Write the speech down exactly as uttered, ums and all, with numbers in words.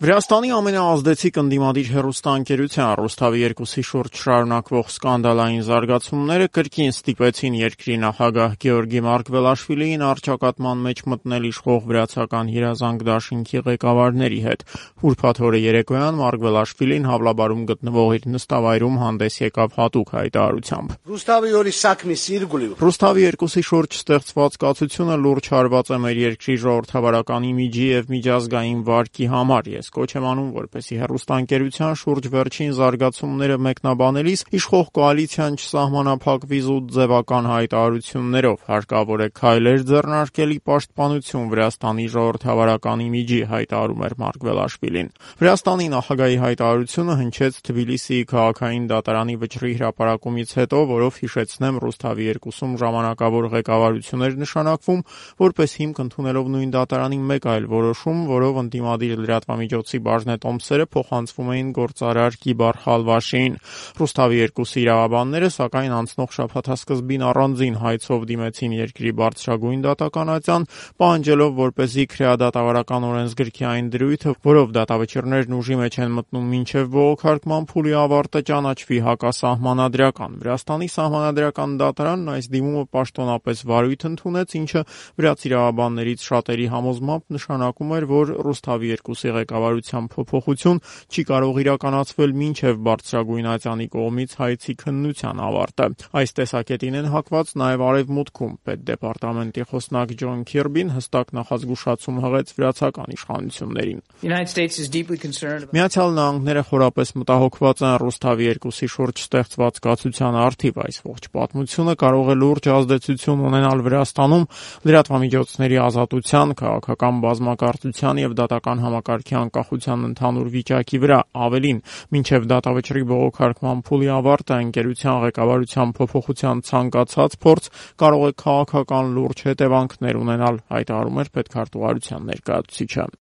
Վրաստանի ամենաազդեցիկ ընդդիմադիր հեռուստաընկերության Ռուսթավի երկուսի շուրջ շարունակվող սկանդալային զարգացումները կրկին ստիպեցին երկրի նախագահ Գեորգի Մարկվելաշվիլիին առճակատման մեջ մտնել իշխող վրացական երազանք դաշինքի ղեկավարների հետ։ Ուրբաթ օրը երեկոյան Մարկվելաշվիլին Հավլաբարում գտնվող իր նստավայրում հանդես եկավ հատուկ հայտարարությամբ։ Ռուսթավի երկուսի շուրջ ստեղծված կացությունը լուրջ հարված է մեր երկրի ժողովրդավարական իմիջի և միջազգային վարկի համար։ Ես կոչ եմ անում, որպեսզի հեռուստաընկերության շուրջ վերջին զարգացումները մեկնաբանելիս իշխող կոալիցիան չսահմանափակվի զուտ ձևական հայտարարություններով, հարկավոր է քայլեր ձեռնարկել ի պաշտպանություն Վրաստանի ժողովրդավարական իմիջի, հայտարարում էր Մարկվելաշվիլին։ Վրաստանի նախագահի հայտարարությունը հնչեց Թբիլիսիի քաղաքային դատարանի վճռի հրապարակումից հետո, որով հիշեցնեմ Ռուսթավի երկուսում ժամանակավոր ղեկավարություն էր նշանակվում, որպես հիմք ընդունելով նույն դատարանի մեկ այլ որոշում, որով ընդդիմադիր լրատվամիջոցի բաժնետոմսերը փոխանցվում էին գործարար Կիբար Խալվաշիին։ Ռուսթավի երկուսի իրավաբանները, սակայն անցնող շաբաթասկզբին առանձին հայցով դիմեցին երկրի բարձրագույն դատական պահանջելով, որպեսզի քրեադատավարական օրենսգրքի այն դրույթը, որով դատավճիռներն ուժի մեջ են մտնում մինչև բողոքարկման փուլի ավարտը, ճանաչվի հակասահմանադրական։ Վրաստանի սահմանադրական դատարանն այս դիմումը պաշտոնապես վարույթ ընդունեց, ինչը վրաց իրավաբաններից շատերի համոզմամբ նշանակում էր, որ Ռուսթավի երկուսի ղեկավարության փոփոխություն չի կարող իրականացվել մինչև բարձրագույն ատյանի կողմից հայցի քննության ավարտը։ Այս տեսակետին են հակված նաև Արևմուտքում։ Պետդեպարտամենտի խոսնակ Ջոն Քիրբին հստակ նախազգուշացում հղեց վրացական իշխանություններին։ Միացյալ Նահանգները խորապես մտահոգված են Ռուսթավի երկուսի շուրջ ստեղծված կացության առթիվ։ Այս ողջ պատմությունը կարող է լուրջ ազդեցություն ունենալ Վրաստանում լրատվամիջոցների ազատության, քաղաքական բազմակարծության և դատական համակարգի անկախության ընդհանուր վիճակի վրա։ Ավելին, մինչև դատավճռի բողոքարկման փուլի ավարտը ընկերության ղեկավարության փոփոխության ցանկացած փորձ կարող է քաղաքական լուրջ հետևանքներ ունենալ, հայտարարում էր պետքարտուղարության ներկայացուցիչը։